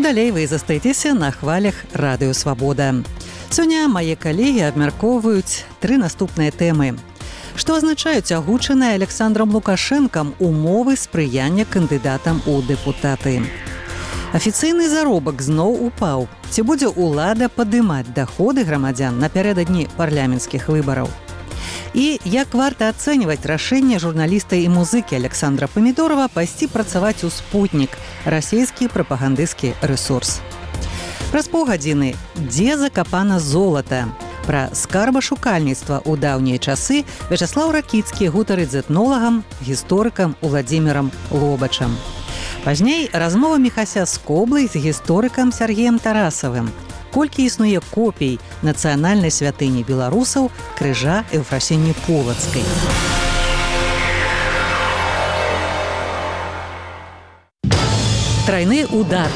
далей вы застаецеся на хвалях Радыё Свабода. Сёння мае калегі абмяркоўваюць 3 наступныя тэмы. Што азначаюць агучаныя Александром Лукашэнкам умовы спрыяння кандыдатам у дэпутаты? Афіцыйны заробак зноў упаў. Ці будзе ўлада падымаць даходы грамадзян напярэдадні парламенцкіх выбараў? І як варта ацэньваць рашэнне журналіста і музыкі Александра Памідорова пайсці працаваць у «Спутнік» – расійскі прапагандысцкі рэсурс. Праз паўгадзіны «Дзе закапана золата?» Пра скарбашукальніцтва ў даўнія часы Вячаслаў Ракіцкі гутарыць з этнолагам, гісторыкам Уладзімірам Лобачам. Пазней размова Міхася Скоблай з гісторыкам Сергеем Тарасавым. Колькі існуе копій нацыянальнай святыні беларусаў крыжа Еўфрасіні Полацкай. Трайны удар.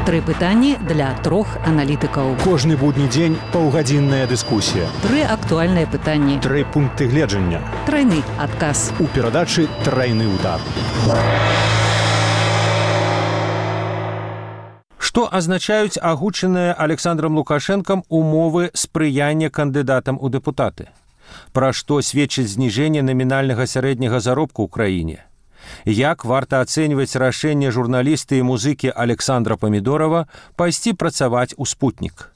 3 пытанні для 3 аналітыкаў. Кожны будні дзень паўгадзінная дыскусія. 3 актуальныя пытанні. 3 пункты гледжання. Трайны адказ. У перадачы «Трайны удар». Што азначаюць агучаныя Александром Лукашэнкам умовы спрыяння кандыдатам у дэпутаты? Пра што сведчыць зніжэнне намінальнага сярэдняга заробку ў краіне? Як варта ацэньваць рашэнне журналіста і музыкі Александра Памідорова пайсці працаваць у «Спутнік»?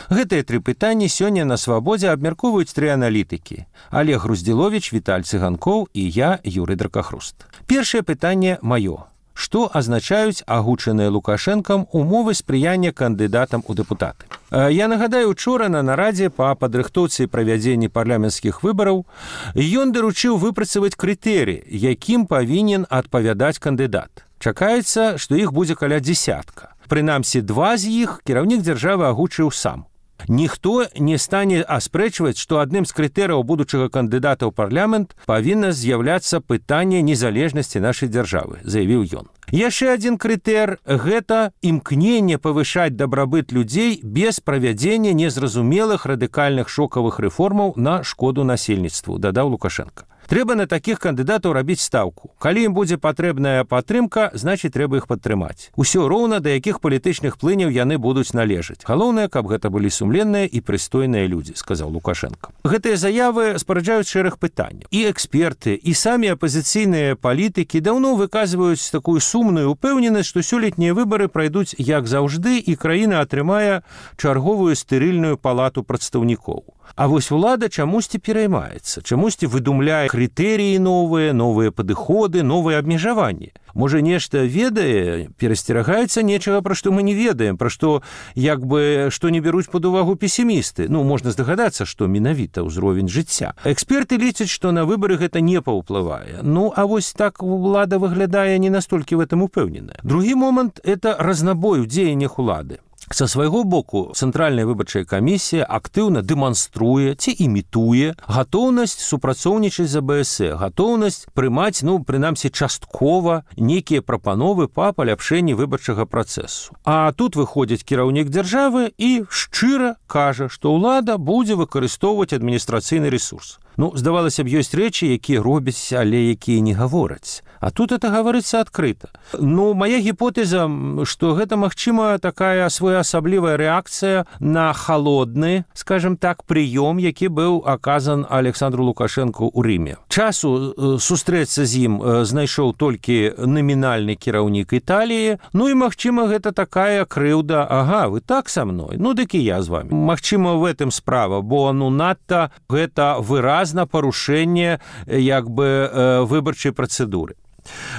Гэтыя 3 пытанні сёння на Свабодзе абмяркоўваюць 3 аналітыкі. Олег Груздзіловіч, Віталь Цыганкоў і я, Юрый Дракахруст. Першае пытанне маё. Што азначаюць агучаныя Лукашэнкам умовы спрыяння кандыдатам у дэпутаты? Я нагадаю, учора на нарадзе па падрыхтоўцы і правядзенні парламенцкіх выбараў ён даручыў выпрацаваць крытэрыі, якім павінен адпавядаць кандыдат. Чакаецца, што іх будзе каля 10. Прынамсі 2 з іх кіраўнік дзяржавы агучыў сам. Ніхто не стане аспрэчваць, што адным з крытэрыяў будучага кандыдата ў парламент павінна з'яўляцца пытанне незалежнасці нашай дзяржавы, заявіў ён. Яшчэ адзін крытэр – гэта імкненне павышаць дабрабыт людзей без правядзення незразумелых радыкальных шокавых рэформаў на шкоду насельніцтву, дадаў Лукашенко. Трэба на такіх кандыдатаў рабіць стаўку. Калі ім будзе патрэбная падтрымка, значыць, трэба іх падтрымаць. Усё роўна, да якіх палітычных плыняў яны будуць належаць. Галоўнае, каб гэта былі сумленныя і прыстойныя людзі, сказаў Лукашенко. Гэтыя заявы спараджаюць шэраг пытанняў. І эксперты, і самі апазіцыйныя палітыкі даўно выказваюць такую сумную упэўненасць, што сёлетнія выбары прайдуць як заўжды, і краіна атрымае чарговую стэрыльную палату прадстаўнікоў. А вось улада чамусьці пераймаецца, чамусьці выдумляе крытэрыі новыя падыходы, новыя абмежаванні. Можа, нешта ведае, перасцерагаецца нечага, пра што мы не ведаем, пра што што не бяруць пад увагу песімісты. Можна здагадацца, што менавіта ўзровень жыцця. Эксперты лічаць, што на выбары гэта не паўплывае. А вось так улада выглядае не настолькі в этом упэўненая. Другі момант – это разнабой у дзеяннях улады. Са свайго боку, Цэнтральная выбарчая камісія актыўна дэманструе ці імітуе гатоўнасць супрацоўнічаць з АБС, гатоўнасць прымаць, прынамсі, часткова нейкія прапановы па паляпшэнні выбарчага працэсу. А тут выходзіць кіраўнік дзяржавы і шчыра кажа, што ўлада будзе выкарыстоўваць адміністрацыйны рэсурс. Здавалася б, ёсць рэчы, якія робяць, але якія не гавораць. А тут это гаворыцца адкрыта. Мая гіпотэза, што гэта, магчыма, такая своеасаблівая рэакцыя на халодны, скажем так, прыём, які быў аказан Александру Лукашэнку ў Рыме. Часу сустрэцца з ім знайшоў толькі намінальны кіраўнік Італіі, і, магчыма, гэта такая крыўда, ага, вы так са мной, дык і я з вами. Магчыма, в этом справа, бо, надта гэта выразна парушэнне, выбарчай працэдуры.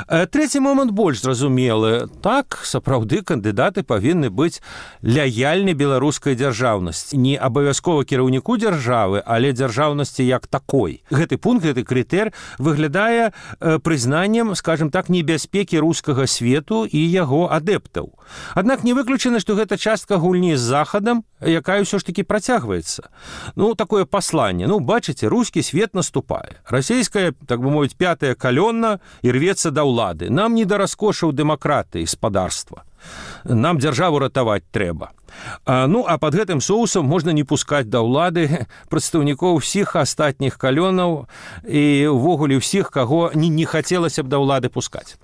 Трэці момант больш зразумелы. Так, сапраўды, кандыдаты павінны быць лаяльны беларускай дзяржаўнасці. Не абавязкова кіраўніку дзяржавы, але дзяржаўнасці як такой. Гэты пункт, гэты крытэр выглядае прызнаннем, скажем так, небяспекі рускага свету і яго адэптаў. Аднак не выключана, што гэта частка гульні з Захадам, якая ўсё ж такі працягваецца. Такое пасланне. Бачыце, рускі свет наступае. Расійская, так бы мовіць, пятая калённа і рвецца да ўлады. Нам не да раскошаў дэмакратыі, спадарства. Нам дзяржаву ратаваць трэба. Ну, а под гэтым соусам можна не пускаць да ўлады прадстаўнікоў усіх астатніх калёнаў і ўвогуле ўсіх, каго не хацелася б да ўлады пускаць.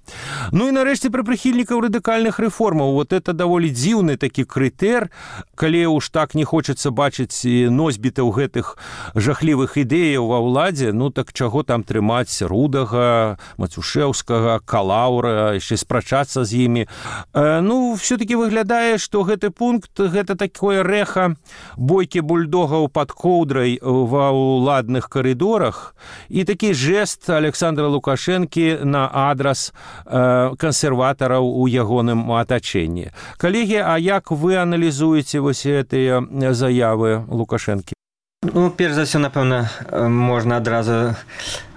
Ну і нарэшце пра прыхільнікаў радыкальных рэформаў. Вот это даволі дзіўны такі крытэр, калі уж так не хочацца бачыць носьбітаў гэтых жахлівых ідэяў ва ўладзе, ну так чаго там трымаць Рудага, Мацюшэўскага, Калаўра, яшчэ спрачацца з імі. Ну, все-таки выглядае, што гэты пункт гэта такое рэха бойкі бульдогаў пад коўдрай ва ўладных карыдорах і такі жэст Александра Лукашэнкі на адрас кансерватараў у ягоным атачэнні. Калегі, а як вы аналізуеце вось гэтыя заявы Лукашэнкі? Ну, перш за ўсё, напэўна, можна адразу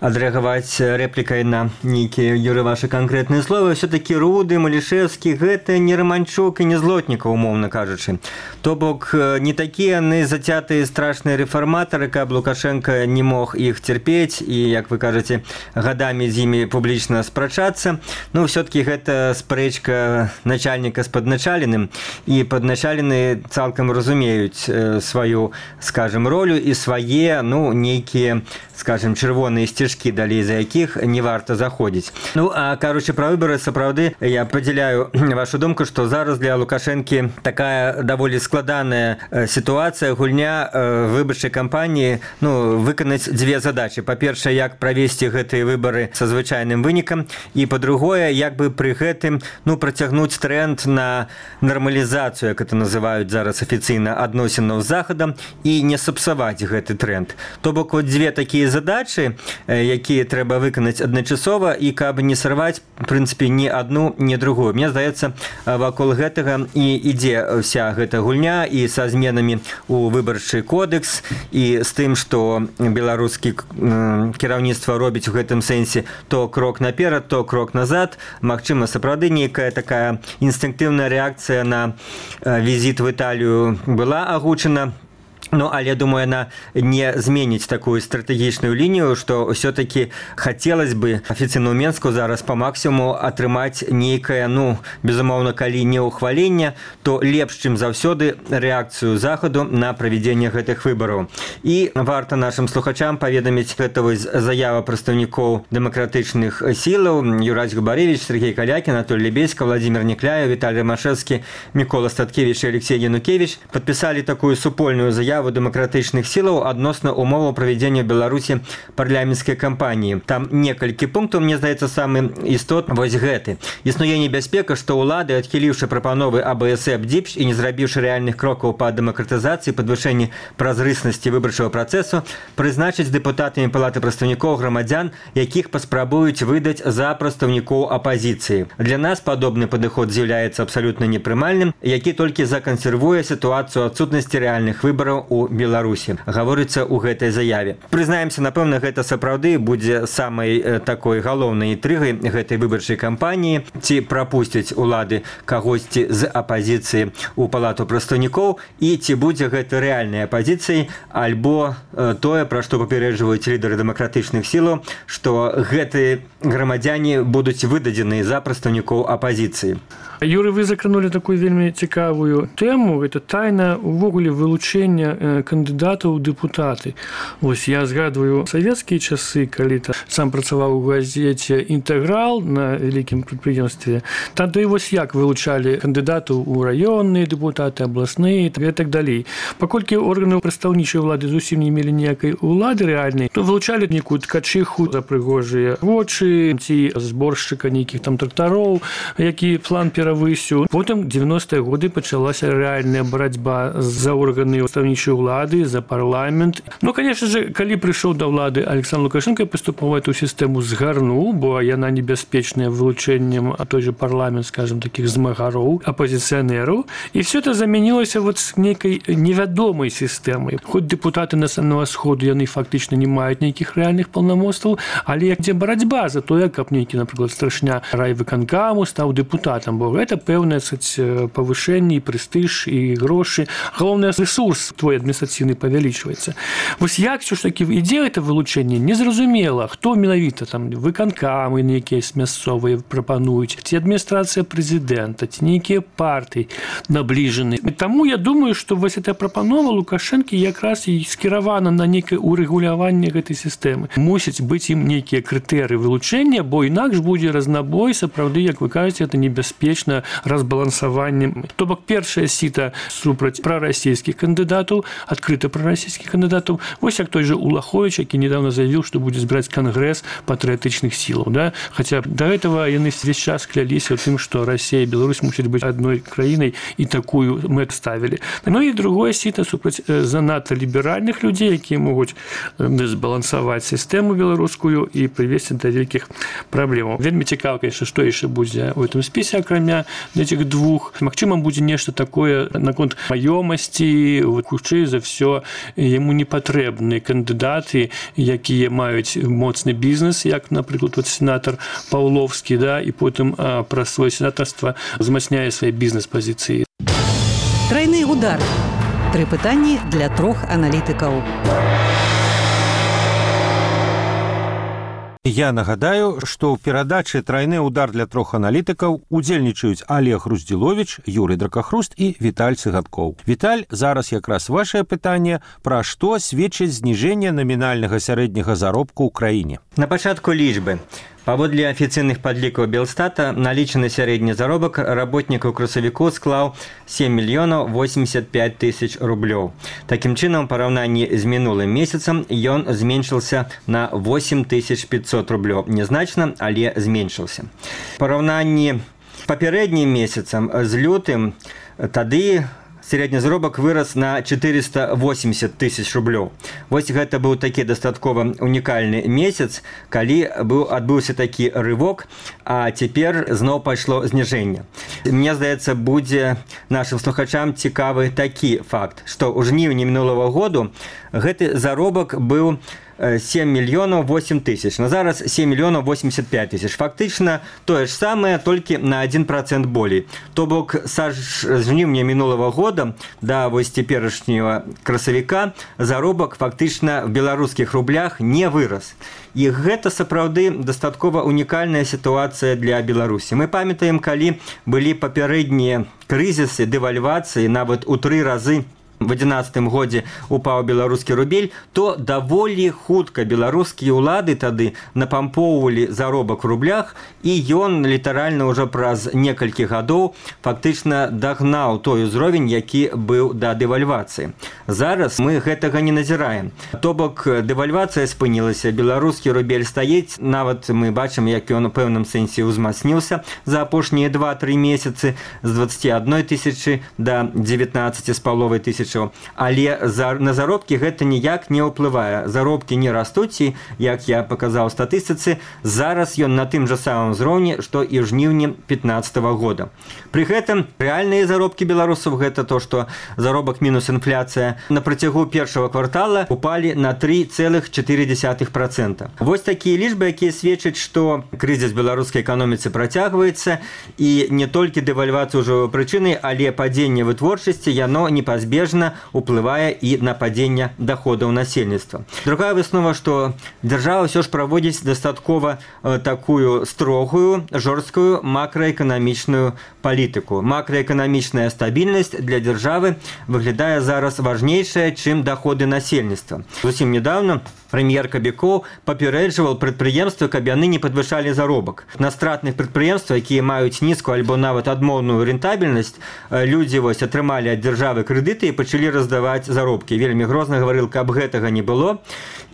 адрэагаваць рэплікай на нейкія, Юры, вашы канкрэтныя словы. Все-таки Руды, Малішэўскі – гэта не Раманчук і не Злотнікаў, умоўна кажучы. То бок, не такія яны зацятыя страшныя рэфарматары, каб Лукашенко не мог іх цярпець і, як вы кажаце, гадамі з імі публічна спрачацца. Ну, все-таки гэта спрэчка начальніка з падначаленым, і падначалены цалкам разумеюць сваю, скажем, ролю і свае, ну, нейкія, скажем, чырвоныя сцежкі, далей за якіх не варта заходзіць. Ну, а кажучы пра выбары, сапраўды, я падзяляю вашу думку, што зараз для Лукашэнкі такая даволі складаная сітуацыя, гульня выбарчай кампаніі, ну, выканаць дзве задачы. Па-першае, як правесці гэтыя выбары са звычайным вынікам, і па-другое, як бы пры гэтым, ну, працягнуць тренд на нармалізацыю, як это называюць зараз афіцыйна, адносінаў з Захадам, і не сапсаваць гэты тренд. То бок, вот дзве такія задачы, якія трэба выканаць адначасова, і каб не сарваць, в прынцыпе, ні адну, ні другую. Мне здаецца, вакол гэтага і ідзе вся гэта гульня, і са зменамі ў выбарчы кодекс, і з тым, што беларускі кіраўніцтва робіць у гэтым сэнсе то крок наперад, то крок назад. Магчыма, сапраўды нейкая такая інстынктыўная рэакцыя на візіт в Італію была агучана. Ну, але, думаю, она не зменіць такую стратэгічную лінію, што ўсё-таки хацелось бы афіцыйна ў Менску зараз па максімуму атрымаць нейкае, ну, безумоўна, калі не ўхваленне, то лепш, чым заўсёды, рэакцыю Захаду на правядзенне гэтых выбараў. І варта нашым слухачам паведаміць, гэта вось заява прадстаўнікоў дэмакратычных сілаў: Юрась Губаревич, Сергей Калякін, Анатолий Лебедько, Владимир Некляев, Віталій Ромашевскі, Мікола Статкевич і Алексей Янукевич падпісалі такую супольную заяву дэмакратычных сілаў адносна умоваў правядзення ў Беларусі парламенцкай кампаніі. Там некалькі пунктаў, мне здаецца, самы істотны вось гэты. Існуе небяспека, што ўлады, адхіліўшы прапановы АБСЭП ДЗІПШ і не зрабіўшы рэальных крокаў па дэмакратызацыі, падвышэнні празрыснасці выбарчага працэсу, прызначыць дэпутатамі Палаты прадстаўнікоў грамадзян, якіх паспрабуюць выдаць за прадстаўнікоў апазіцыі. Для нас падобны падыход з'яўляецца абсалютна непрымальным, які толькі закансервуе сітуацыю адсутнасці рэальных выбараў у Беларусі, гаворыцца ў гэтай заяве. Прызнаемся, напэўна, гэта сапраўды будзе самай такой галоўнай інтрыгай гэтай выбарчай кампаніі, ці прапусцяць улады кагосьці з апазіцыі ў Палату прадстаўнікоў, і ці будзе гэта рэальнай апазіцыяй, альбо тое, пра што папярэджваюць лідары дэмакратычных сілаў, што гэтыя грамадзяне будуць выдадзены за прадстаўнікоў апазіцыі. Юры, вы закранули такую вельмі цікавую тэму. Гэта тайна увогуле вылучэння кандыдатаў у дэпутаты. Вось я згадваю савецкія часы, калі сам працаваў у газеце «Інтэграл» на вялікім прадпрыемстве. Тады вось як вылучалі кандыдатаў у раённыя дэпутаты, абласныя і так далей. Паколькі органы прадстаўнічай улады зусім не мелі ніякай улады рэальнай, то вылучалі нейкую ткачыху за прыгожыя вочы, ці зборшчыка нейкіх там трактароў, які план высю. Потым 90-е годы пачалася рэальная барацьба за органы прадстаўнічай улады, за парламент. Ну, конечно же, калі прыйшоў да ўлады Александр Лукашенко, паступова эту сістэму згарнуў, бо яна небяспечная вылучэннем, а той же парламент, скажем, таких змагароў, апозіцыянераў. І все это замянілася вот с нейкай невядомай сістэмай. Хоць дэпутаты Национального сходу, яны фактычна не маюць нейкіх рэальных паўнамоцтваў, але дзе барацьба за тое, каб нейкі, напрыклад, старшыня райвыканкаму стаў дэпутатам, бо гэта пэўнае павышэнне і прэстыж і грошы. Галоўны рэсурс твой адміністрацыйны павялічваецца. Вось як ўсё ж такі ідзе гэта вылучэнне, незразумела, хто менавіта там выканкамы нейкія мясцовыя прапануюць, ці адміністрацыя прэзідэнта, ці нейкія партыі набліжаны. Таму я думаю, што вось эта прапанова Лукашэнкі якраз і скіравана на нейкае урэгуляванне гэтай сістэмы. Мусяць быць ім нейкія крытэрыі вылучэння, бо інакш будзе разнабой, сапраўды, як вы кажаце, это небяспечна разбалансаваннем. То бок першае сіта супраць прарасійскіх кандыдатаў, адкрыта прарасійскіх кандыдатаў. Вось як той же Улахович, які недавно заявіў, што будзе збіраць кангрэс патрыятычных сілаў. Да? Хаця да гэтага яны весь час кляліся ў тым, што Расія і Беларусь мусяць быць адной краінай, і такую мэт ставілі. Ну і другое сіта супраць занадта ліберальных людзей, якія могуць збалансаваць сістэму беларускую і прывесці да вялікіх праблемаў. Вельмі цікава, конечно, што яшчэ будзе ў гэтым спісе, акрамя этих двух. Магчыма, будзе нешта такое наконт маёмасці, хутчэй за ўсё яму не патрэбны кандыдаты, якія маюць моцны бізнес, як, напрыклад, сенатар Паўловскі, да, і потым праз сваё сенатарства змацняе свае бізнес-пазіцыі. Трайны удар. 3 пытанні для 3 аналітыкаў. Я нагадаю, што ў перадачы «Трайны удар» для 3 аналітыкаў удзельнічаюць Олег Руздзіловіч, Юрый Дракахруст і Віталь Цыгаткоў. Віталь, зараз якраз вашае пытанне, пра што сведчыць зніжэнне намінальнага сярэдняга заробку ў краіне. На пачатку лічбы. Паводле афіцыйных падлікаў Белстата, налічаны сярэдні заробак работнікаў красавіку склаў 7 мільёнаў 85 тысяч рублёў. Такім чынам, у параўнанні з мінулым месяцам ён зменшыўся на 8500 рублёў. Незначна, але зменшыўся. У параўнанні з папярэднім месяцам, з лютым, тады сярэдні заробак вырас на 480 тысяч рублёў. Вось гэта быў такі дастаткова унікальны месяц, калі адбыўся такі рывок, а цяпер зноў пайшло зніжэнне. Мне здаецца, будзе нашым слухачам цікавы такі факт, што ў жніўні мінулага году гэты заробак быў 7 мільёнаў 8 тысяч. На зараз 7 мільёнаў 85 тысяч. Фактычна тое ж самае, толькі на 1% болей. То бок, з жніўня мінулага года да вось цяперашняга красавіка заробак фактычна в беларускіх рублях не вырас. І гэта сапраўды дастаткова унікальная сітуацыя для Беларусі. Мы памятаем, калі былі папярэднія крызісы, дэвальвацыі, нават у 3 разы в 2011 годзе упаў беларускі рубель, то даволі хутка беларускія ўлады тады напампоўвалі заробак у рублях, і ён літаральна ўжо праз некалькі гадоў фактычна дагнаў той узровень, які быў да дэвальвацыі. Зараз мы гэтага не назіраем. То бок дэвальвацыя спынілася, беларускі рубель стаіць, нават мы бачым, як ён у пэўным сэнсе ўзмацніўся за апошнія 2-3 месяцы з 21 тысячы да 19,5 тысяч. Але на заробкі гэта ніяк не ўплывае. Заробкі не растуць, і, як я паказаў у статыстыцы, зараз ён на тым жа самым узроўні, што і ў жніўні 2015 года. Пры гэтым рэальныя заробкі беларусаў, гэта то, што заробак мінус інфляцыя, на працягу першага квартала упалі на 3,4%. Вось такія лічбы, якія сведчаць, што крызіс беларускай эканоміцы працягваецца, і не толькі дэвальвацыя ўжо прычынай, але падзенне вытворчасці, яно непазбежна уплывае і на падзенне даходаў насельніцтва. Другая выснова, што дзяржава ўсё ж праводзіць дастаткова такую строгую, жорсткую макраэканамічную палітыку. Макраэканамічная стабільнасць для дзяржавы выглядае зараз важнейшая, чым даходы насельніцтва. Зусім недавно прэм'ер Кабікоў папярэджваў прадпрыемствы, каб яны не падвышалі заробак. На стратных прадпрыемствах, якія маюць нізкую альбо нават адмоўную рэнтабельнасць, людзі вось атрымалі ад дзяржавы крэдыты і пачалі раздаваць заробкі. Вельмі грозна гаварыў, каб гэтага не было.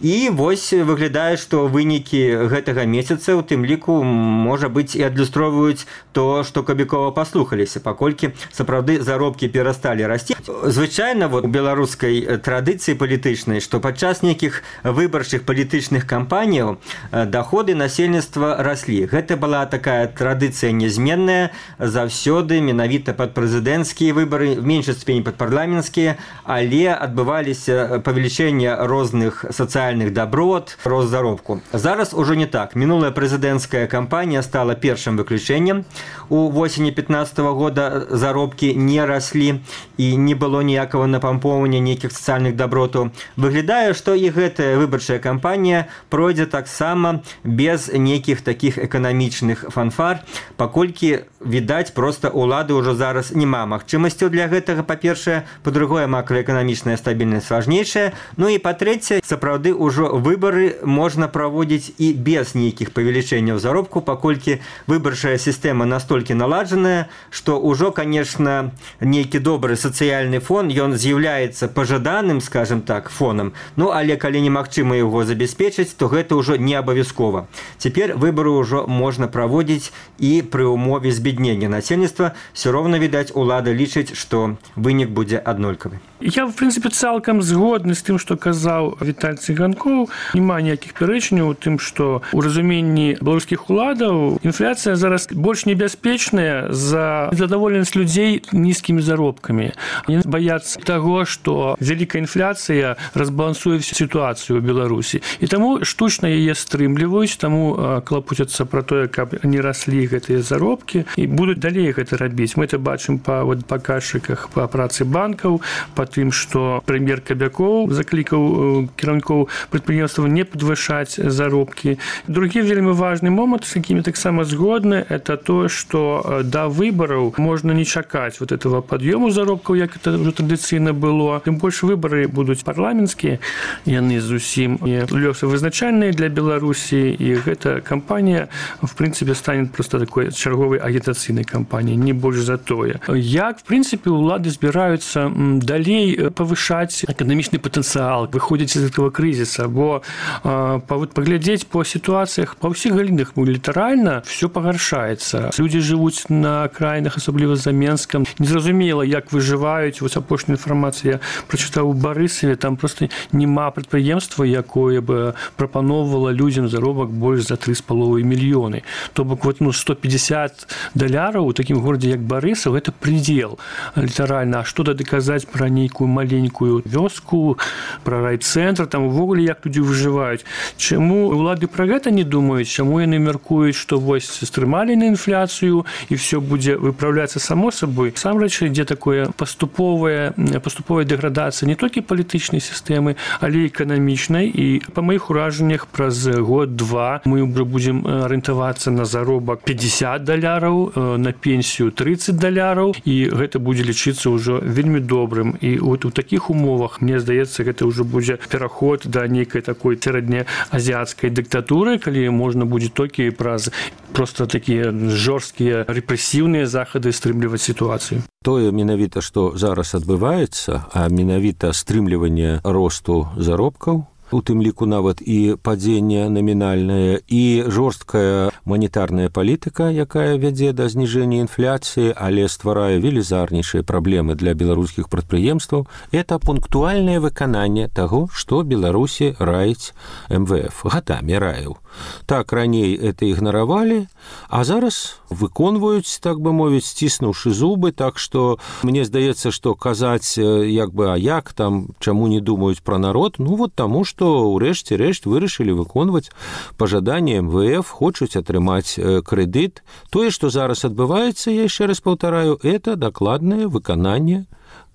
І вось выглядае, што вынікі гэтага месяца, у тым ліку, можа быць, і адлюстроўваюць то, што Кабікова паслухаліся, паколькі сапраўды заробкі перасталі расці. Звычайна, у беларускай традыцыі палітычнай, што падчас нейкіх выбарчых палітычных кампаніяў даходы насельніцтва раслі. Гэта была такая традыцыя нязменная заўсёды, менавіта пад прэзідэнцкія выбары, в меншай ступені пад парламенцкія пенсии, але адбываліся павелічэнне розных сацыяльных даброт, рост заробку. Зараз уже не так. Мінулая прэзідэнцкая кампанія стала першым выключэннем. У восені 15 года заробкі не раслі і не было ніякага напампоўвання нейкіх сацыяльных дабротаў. Выглядае, што і гэтая выбарчая кампанія пройдзе таксама без нейкіх такіх эканамічных фанфар, паколькі, відаць, проста улады ўжо зараз няма магчымасцяў для гэтага, па-першае, па-другое, макраэканамічная стабільнасць важнейшая, ну і па-трэцяе, сапраўды ўжо выбары можна праводзіць і без нейкіх павелічэнняў заробку, паколькі выбарчая сістэма настолькі наладжаная, што ўжо, конечно, нейкі добры сацыяльны фон, ён з'яўляецца пажаданым, скажем так, фонам, ну, але калі немагчыма яго забяспечыць, то гэта ўжо не абавязкова. Цяпер выбары ўжо можна праводзіць і пры умове збеднення насельніцтва. Все роўна, відаць, улада лічыць, што вынік будзе аднолькавы. Я, в принципе, цалкам згодны з тым, што казаў Віталь Цыганкоў. Няма ніякіх пярэчняў у тым, што ў разуменні беларускіх уладаў інфляцыя зараз больш небяспечная за задаволенасць людзей нізкімі заробкамі. Яны баяцца таго, што вялікая інфляцыя разбалансуе всю сітуацыю ў Беларусі. І таму штучна яе стрымліваюць, таму клапуцяцца пра тое, каб не раслі гэтыя заробкі і будуць далей гэта рабіць. Мы это бачым па паказчыках па працы банкаў, па тым, што прэм'ер Кабякоў заклікаў кіраўнікоў прадпрыемстваў не падвышаць заробкі. Другі вельмі важны момант, з якімі таксама згодны, это тое, што да выбараў можна не чакаць вот этого пад'ёму заробкаў, як это ўжо традыцыйна было. Тым больш выбары будуць парламенцкія, яны зусім лёсавызначальныя для Беларусі, і гэта кампанія, в прынцыпе, стане проста такой чарговай агітацыйнай кампаніяй, не больш за тое. Як, в прынцыпе, улады збіраюцца далей павышаць эканамічны патэнцыял, выходзіць з гэтага крызіса, бо паглядзець по сітуацыях па ўсіх галінах літаральна все пагаршаецца. Людзі жывуць на акраінах, асабліва за Менскам. Незразумела, як выжываюць. Вось апошняя інфармацыя я прачытаў у Барысаве, там проста няма прадпрыемства, якое бы прапаноўвала людзям заробак больш за 3,5 мільёны. То бок вот, $150 у такім горадзе, як Барысаў, гэта прыдзел літаральна. А што тады казаць пра нейкую маленькую вёску, пра райцэнтр, там увогуле як людзі выжываюць. Чаму улады пра гэта не думаюць? Чаму яны мяркуюць, што вось стрымалі на інфляцыю і все будзе выпраўляцца само сабой? Насамрэч ідзе такое паступовая дэградацыя не толькі палітычнай сістэмы, але і эканамічнай. І па маіх уражаннях праз год-два мы будзем арыентавацца на заробак $50, на пенсію $30, і гэта будзе лічыцца ўжо вельмі добрым. І от у такіх умовах, мне здаецца, гэта ўжо будзе пераход да нейкай такой сярэднеазіяцкай дыктатуры, калі можна будзе толькі праз проста такія жорсткія рэпрэсіўныя захады стрымліваць сітуацыю. Тое менавіта, што зараз адбываецца, а менавіта стрымліванне росту заробкаў, у тым ліку нават і падзенне намінальнае, і жорсткая манетарная палітыка, якая вядзе да зніжэння інфляцыі, але стварае велізарнейшыя праблемы для беларускіх прадпрыемстваў, это пунктуальнае выкананне таго, што Беларусі раіць МВФ, гадамі раіў. Так, раней это ігнаравалі, а зараз выконваюць, так бы мовіць, сціснуўшы зубы, так што мне здаецца, што казаць, як бы, а як там, чаму не думаюць пра народ, ну вот таму, што ўрэшце рэшт вырашылі выконваць пажаданне МВФ, хочуць атрымаць крэдыт. Тое, што зараз адбываецца, я яшчэ раз паўтараю, это дакладнае выкананне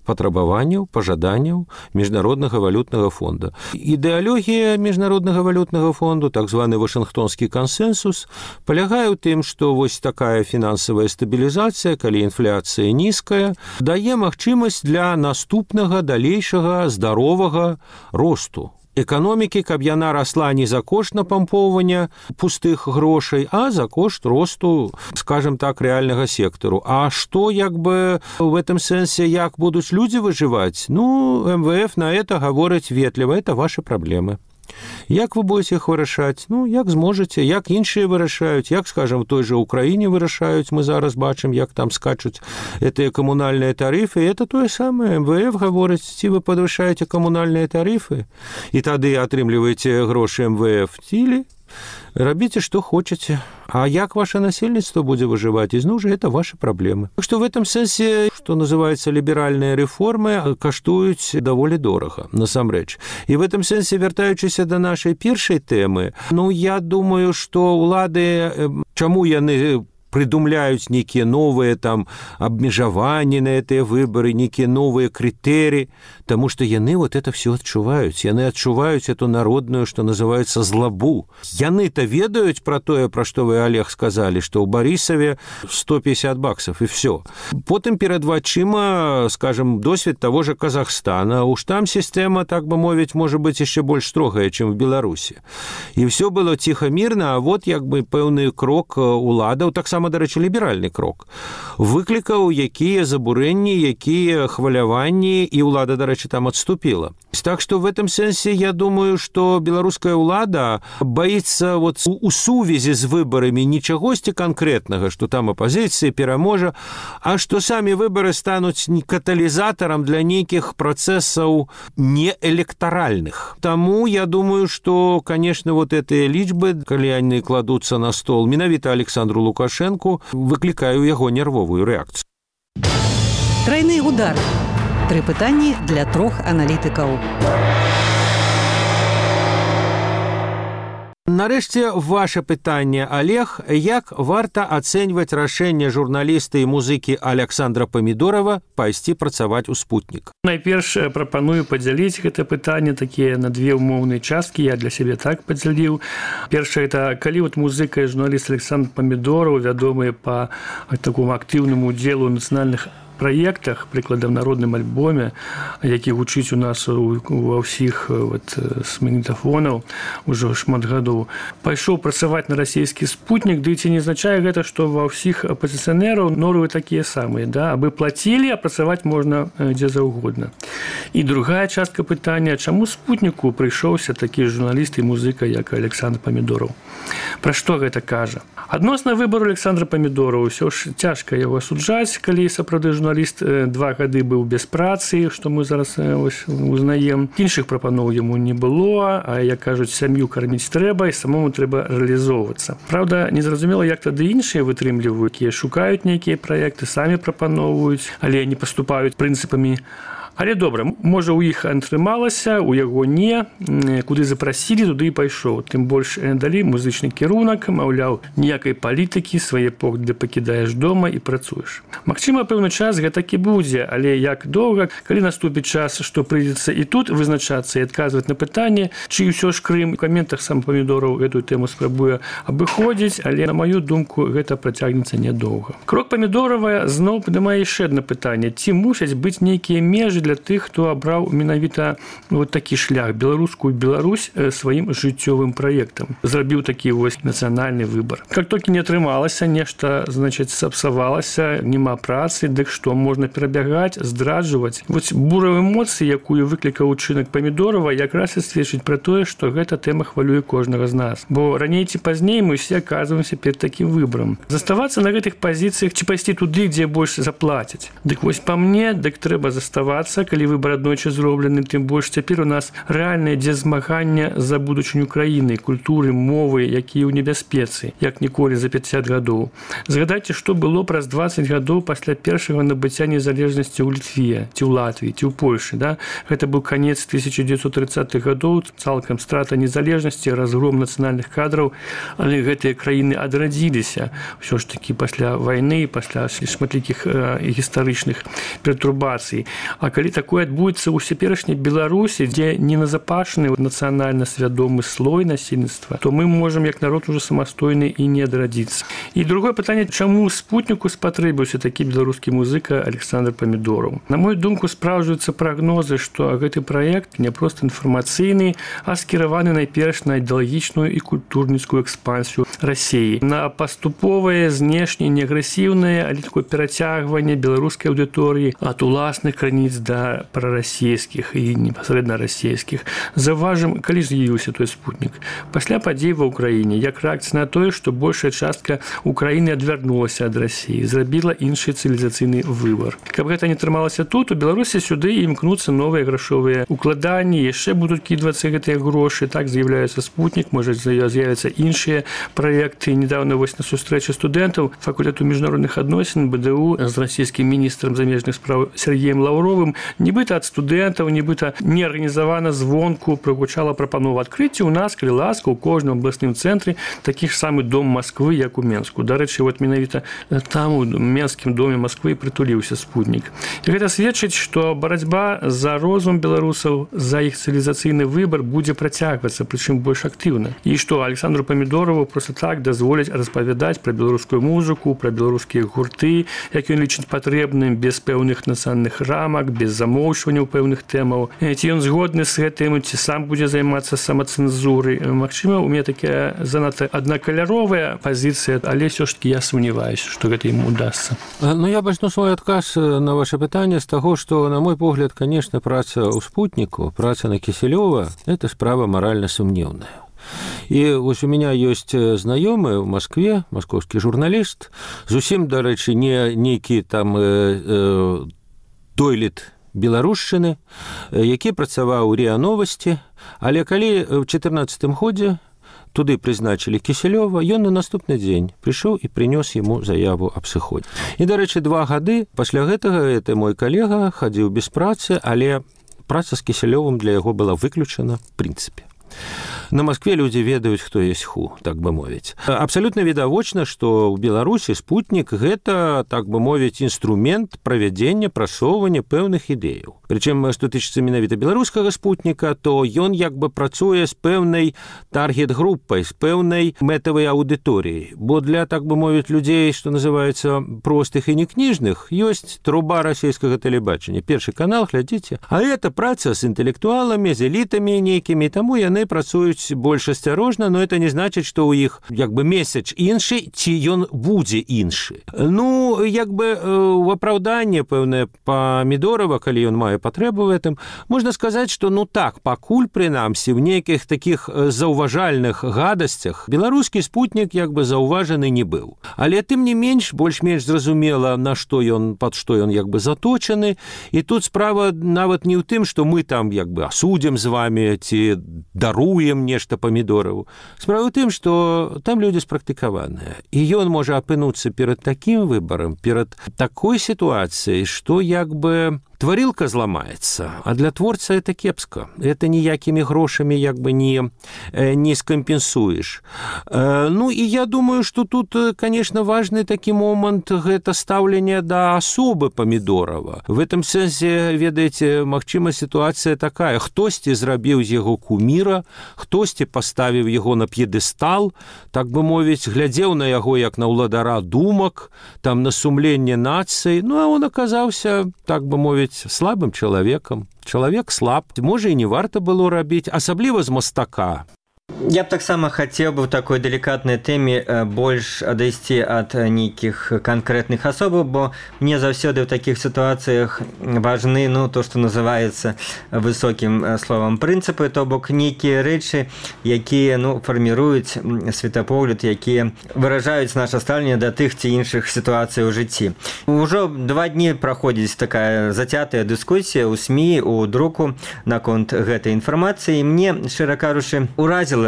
патрабаванняў, пажаданняў Міжнароднага валютнага фонда. Ідэалогія Міжнароднага валютнага фонду, так званы Вашынгтонскі кансенсус, палягае ў тым, што вось такая фінансавая стабілізацыя, калі інфляцыя нізкая, дае магчымасць для наступнага далейшага здаровага росту эканомікі, каб яна расла не за кошт напампоўвання пустых грошай, а за кошт росту, скажем так, рэальнага сектару. А што, як бы, в этом сэнсе, як будуць людзі выжываць? Ну, МВФ на это гаворыць ветліва, это ваши праблемы. Як вы будете іх вырашаць? Ну, як зможаце, як іншыя вырашаюць, як, скажем, в той же Украіне вырашаюць, мы зараз бачым, як там скачуць гэтыя камунальныя тарыфы, это тое самае. МВФ гаворыць, ці вы падвышаеце камунальныя тарыфы, і тады атрымліваеце грошы МВФ, ці рабіце, што хочаце. А як ваше насельніцтва будзе выжываць ізноў жа, это ваши праблемы. Так што в этом сэнсе, што называецца ліберальныя рэформы, каштуюць даволі дорага, насамрэч. І в этом сэнсе, вяртаючыся да нашай першай тэмы, я думаю, што ўлады, чаму яны придумляюць нейкія новыя там абмежаванні на гэтыя выбары, нейкія новыя крытэрыі, таму што яны вот это все адчуваюць. Яны адчуваюць эту народную, што называецца, злабу. Яны-то ведаюць пра тое, пра што вы, Олег, сказалі, што ў Барысаве $150 і все. Потым перад вачыма, скажем, досвед таго же Казахстана. Уж там сістэма, так бы мовіць, можа быць яшчэ больш строгая, чым в Беларусі. І все было ціха мірна, а вот як бы пэўны крок уладаў, таксама, дарэчы, ліберальны крок, выклікаў якія забурэнні, якія хваляванні, і ўлада, дарэчы, там адступіла. Так што в этом сэнсе я думаю, што беларуская ўлада баіцца вот у сувязі з выбарамі не чагосьці канкрэтнага, што там апазіцыя пераможа, а што самі выбары стануць каталізатарам для нейкіх працэсаў неэлектаральных. Таму я думаю, што, конечно, вот гэтыя лічбы, калі яны кладуцца на стол менавіта Александру Лукашенку, выклікаю яго нервовую рэакцыю. Трайны удар. 3 пытанні для 3 аналітыкаў. Нарэшце, ваше пытанне, Олег, як варта ацэньваць рашэнне журналіста і музыкі Александра Памідорова пайсці працаваць у «Спутнік»? Найперш прапаную падзяліць гэта пытанне такія на 2 умоўныя часткі, я для сябе так падзяліў. Першае, это калі вот музыка і журналіст Александр Памідоров, вядомыя па такому актыўнаму удзелу ў нацыянальных праектах, прыкладам, народным альбоме, які гучыць у нас ва ўсіх з магнітафонаў ужо шмат гадоў, пайшоў працаваць на расійскі «Спутнік», ды ці не азначае гэта, што ва ўсіх апазіцыянераў норовы такія самыя, да? Абы плацілі, а працаваць можна дзе заўгодна. І другая частка пытання, чаму «Спутніку» прыйшоўся такі журналіст і музыка, як Александр Памідоров? Пра што гэта кажа? Адносна выбару Александра Памідорова ўсё ж цяжка яго асуджаць, калі сапраўды журналіст 2 гады быў без працы, што мы зараз узнаем. Іншых прапаноў яму не было, а, як кажуць, сям'ю карміць трэба і самому трэба рэалізоўвацца. Праўда, незразумела, як тады іншыя вытрымліваюць, якія шукаюць нейкія праекты, самі прапаноўваюць, але не паступаюць прынцыпамі. Але добра, можа, у іх атрымалася, у яго не, куды запрасілі, туды і пайшоў. Тым больш далі музычны кірунак, маўляў, ніякай палітыкі, свае погляды пакідаеш дома і працуеш. Магчыма, пэўны час гэтак і будзе, але як доўга, калі наступіць час, што прыйдзецца і тут вызначацца і адказваць на пытанне, чый усё ж Крым, у каментах сам Памідоров гэтую тэму спрабуе абыходзіць, але, на маю думку, гэта працягнецца нядоўга. Крок Памідорова зноў падымае яшчэ адно пытанне. Ці мусяць быць нейкія межы для тых, хто абраў менавіта вот такі шлях, беларускую Беларусь сваім жыццёвым праектам. Зрабіў такі нацыянальны выбар. Как толькі не атрымалася, нешта, значыць, сапсавалася, няма працы, дык што, можна перабягаць, здраджваць. Вот буравыя эмоцыі, якую выклікаў учынак Памідорова, якраз і сведчыць пра тое, што гэта тэма хвалюе кожнага з нас. Бо раней ці пазней мы ўсе аказваемся перад такім выбарам. Заставацца на гэтых пазіцыях ці пайсці туды, дзе больш заплацяць. Дык вось па мне, дык трэба заставацца, калі выбар аднойчы зроблены, тым больш цяпер у нас рэальнае змаганне за будучыню краіны, культуры, мовы, якія ў небяспецы, як ніколі за 50 гадоў. Згадайце, што было праз 20 гадоў пасля першага набыцця незалежнасці ў Літве, ці ў Латвіі, ці ў Польшы. Да? Гэта быў канец 1930-х гадоў, цалкам страта незалежнасці, разгром нацыянальных кадраў, але гэтыя краіны адрадзіліся ўсё ж такі пасля вайны, пасля шматлікіх гістарычных пертурбацый. А калі такое адбудзецца ў цяперашняй Беларусі, дзе не назапашаны нацыянальна свядомы слой насельніцтва, то мы можам як народ ужо самастойны і не адрадзіцца. І другое пытанне, чаму «Спутніку» спатрэбіўся такі беларускі музыка Александр Памідоров? На мою думку, спраўджваюцца прагнозы, што гэты праект не проста інфармацыйны, а скіраваны найперш на ідэалагічную і культурніцкую экспансію Расіі, на паступовае, знешне, неагрэсіўнае, але такое перацягванне беларускай аўдыторыі ад уласных крыніц да прарасійскіх і непасрэдна расійскіх. Заўважым, калі з'явіўся той спутнік. Пасля падзей ва ўкраіне, як рэакцыя на тое, што большая частка Украіны адвярнулася ад Расіі, зрабіла іншы цывілізацыйны выбар. Каб гэта не трымалася тут, у Беларусі сюды імкнуцца новыя грашовыя укладанні, яшчэ будуць кідвацца гэтыя грошы, так з'яўляецца спутнік, можа з'явяцца іншыя праекты. Недавно вось на сустрэчы студэнтаў факультэту міжнародных адносін БДУ з расійскім міністрам замежных спраў Сергеем Лаўровым нібыта ад студэнтаў, нібыта неарганізавана звонку прагучала прапанова адкрыцця у нас, калі ласка, у кожным абласным цэнтры такі ж самы дом Масквы, як у Менску. Дарэчы, вот менавіта там у Менскім доме Масквы прытуліўся спутнік. І гэта сведчыць, што барацьба за розум беларусаў, за іх цывілізацыйны выбар будзе працягвацца, прычым больш актыўна. І што Александру Памідорову проста так дазволяць распавядаць пра беларускую музыку, пра беларускія гурты, як ён лічыць патрэбным, без пэўных нацыянальных рамак, без замоўчванняў пэўных тэмаў. Ці ён згодны з гэтым, ці сам будзе займацца самацэнзурай. Магчыма, у мяне такая занадта аднакаляровая пазіцыя, але ўсё ж таки я сумняваюся, што гэта ім удасца. Ну, я пачну свой адказ на ваше пытанне з таго, што, на мой погляд, конечно, праца ў спутніку, праца на Кісялёва – это справа маральна сумнеўная. І вось у меня ёсць знаёмы ў Маскве, маскоўскі журналіст, зусім, дарэчы, не нейкі там дойлід беларушчыны, які працаваў у РИА Новости, але калі ў 2014 годзе туды прызначылі Кісялёва, ён на наступны дзень прыйшоў і прынёс яму заяву аб сыходзе. І, дарэчы, 2 гады пасля гэтага гэты мой калега хадзіў без працы, але праца з Кісялёвым для яго была выключана в прынцыпе. На Москве людзі ведаюць, хто есть ху, так бы мовіць. Абсалютна відавочна, што ў Беларусі спутнік гэта, так бы мовіць, інструмент правядзення, прасоўвання пэўных ідэяў. Прычым, што тычыцца менавіта беларускага спутніка, то ён як бы працуе з пэўнай таргет-группай, з пэўнай мэтавай аўдыторыяй. Бо для, так бы мовіць, людзей, што называецца простых і некніжных, ёсць труба расійскага тэлебачання. Першы канал, глядзіце. А гэта праца з інтэлектуаламі, з элітамі нейкімі, таму яны працуюць больш асцярожна, но это не значыць, што ў іх як бы месяц іншы, ці ён будзе іншы. Ну, як бы у апраўданне пэўнае Памідорова, калі ён мае патрэбу в этом, можна сказаць, што ну так, пакуль прынамсі в нейкіх такіх заўважальных гадасцях беларускі спутнік як бы заўважаны не быў. Але тым не менш, больш-менш зразумела, на што ён, пад што ён як бы заточаны, і тут справа нават не ў тым, што мы там як бы асудзім з вами, ці даруем нешта Памідорову. Справа ў тым, што там людзі спрактыкаваныя. І ён можа апынуцца перад такім выбарам, перад такой сітуацыяй, што як бы тварилка зламаецца, а для творца это кепска. Это ніякімі грошамі як бы не скампенсуеш. Ну і я думаю, што тут, конечно, важны такі момант гэта стаўленне да асобы Памідорова. В этом сэнсе, ведаеце, магчыма сітуацыя такая: хтосьці зрабіў з яго куміра, хтосьці паставіў яго на п'едэстал, так бы мовіць, глядзеў на яго як на ўладара думак, там на сумленне нацыі, ну а он аказаўся, так бы мовіць, слабым чалавекам. Чалавек слаб, можа і не варта было рабіць, асабліва з мастака. Я б таксама хацеў бы ў такой далікатнай тэме больш адайсці ад нейкіх канкрэтных асобаў, бо мне заўсёды ў такіх сітуацыях важны, ну, то, што называецца высокім словам прынцыпы, то бок нейкія рэчы, якія, ну, фарміруюць светапогляд, якія выражаюць наша стаўленне да тых ці іншых сітуацый у жыцці. Ужо 2 дні праходзіць такая зацятая дыскусія ў СМІ, у друку наконт гэтай інфармацыі. Мне, шчыра кажучы, уразіла,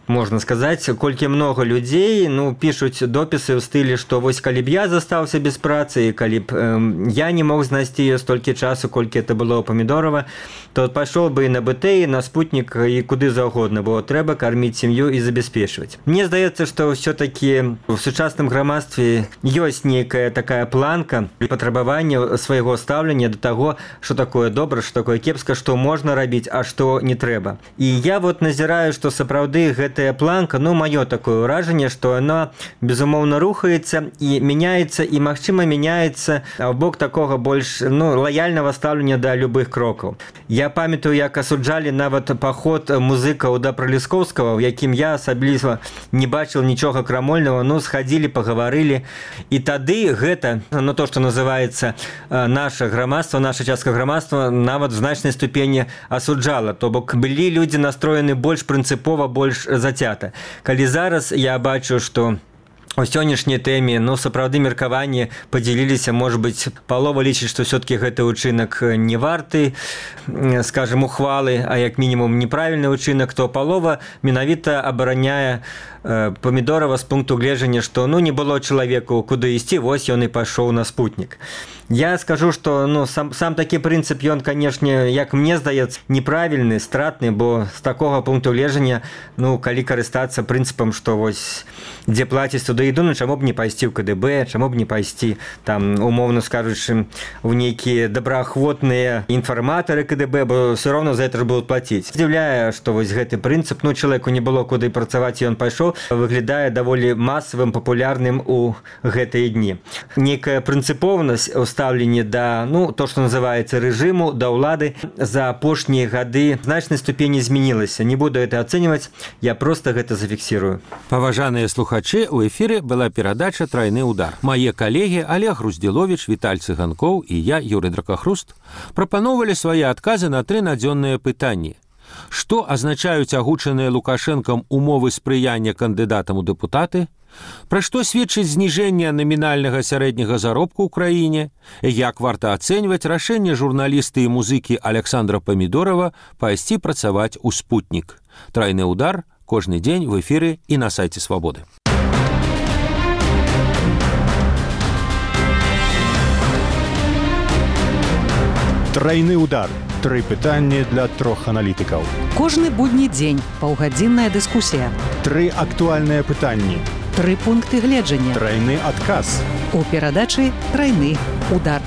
можна сказаць, колькі многа людзей, ну, пішуць допісы ў стылі, што вось калі б я застаўся без працы, і калі б я не мог знайсці ее столькі часу, колькі это было ў Памідорова, то пайшоў бы і на БТ, і на спутнік, і куды заўгодна, бо трэба карміць сям'ю і забяспечваць. Мне здаецца, што ўсё-такі в сучасным грамадстве ёсць нейкая такая планка патрабавання свайго стаўлення да таго, што такое добра, што такое кепска, што можна рабіць, а што не трэба. І я вот назіраю, што сапраўды сапраўды гэтая планка, ну, маё такое ўражанне, што яна, безумоўна, рухаецца і мяняецца, і, магчыма, мяняецца ў бок такога больш, ну, лаяльнага стаўлення да любых крокаў. Я памятаю, як асуджалі нават паход музыкаў да Праліскоўскага, у якім я асабліва не бачыў нічога крамольнага, ну, схадзілі, пагаварылі. І тады гэта, ну, то, што называецца наша грамадства, наша частка грамадства, нават в значнай ступені асуджала. То бок былі людзі настроены больш прынцыпова, больш зацята. Калі зараз я бачу, што у сённяшняй тэме, ну, сапраўды меркаванні падзяліліся, можа быць, палова лічыць, што ўсё-такі гэты ўчынак не варты, скажем, ухвалы, а як мінімум неправільны ўчынак, то палова менавіта абараняе Памідорава з пункту гледжання, што, ну, не было чалавеку куды ісці, вось ён і пайшоў на спутнік. Я скажу, што, ну, сам такі прынцып, ён, канешне, як мне здаецца, неправільны, стратны, бо з такога пункту гледжання, ну, калі карыстацца прынцыпам, што вось дзе плаціць, туды іду, ну, чаму б не пайсці ў КДБ, чаму б не пайсці, там, умоўна скажучы, у нейкія добраахвотныя інфарматары КДБ, бо ўсё роўна за гэта ж будуць плаціць. Здзіўляе, што вось гэты прынцып, ну, чалавеку не было куды працаваць, і ён пайшоў, выглядае даволі масавым, папулярным у гэтыя дні. Некая прынцыповасць у стаўленні да, ну, то, што называецца рэжыму, да ўлады за апошнія гады в значнай ступені змянілася. Не буду это ацэньваць, я проста гэта зафіксірую. Паважаныя слухачы, у эфіры была перадача «Трайны удар». Мае калегі Олег Груздзіловіч, Віталь Цыганкоў і я, Юрый Дракахруст, прапаноўвалі свае адказы на 3 надзённыя пытанні. Што азначаюць агучаныя Лукашэнкам умовы спрыяння кандыдатам у дэпутаты? Пра што сведчыць зніжэнне намінальнага сярэдняга заробку ў краіне? Як варта ацэньваць рашэнне журналісты і музыкі Александра Памідорава пайсці працаваць у спутнік? «Трайны удар» кожны дзень в эфіры і на сайце Свабоды. Трайны удар. 3 пытанні для 3 аналітыкаў. Кожны будні дзень паўгадзінная дыскусія. 3 актуальныя пытанні. 3 пункты гледжання. Трайны адказ. У перадачы «Трайны удар».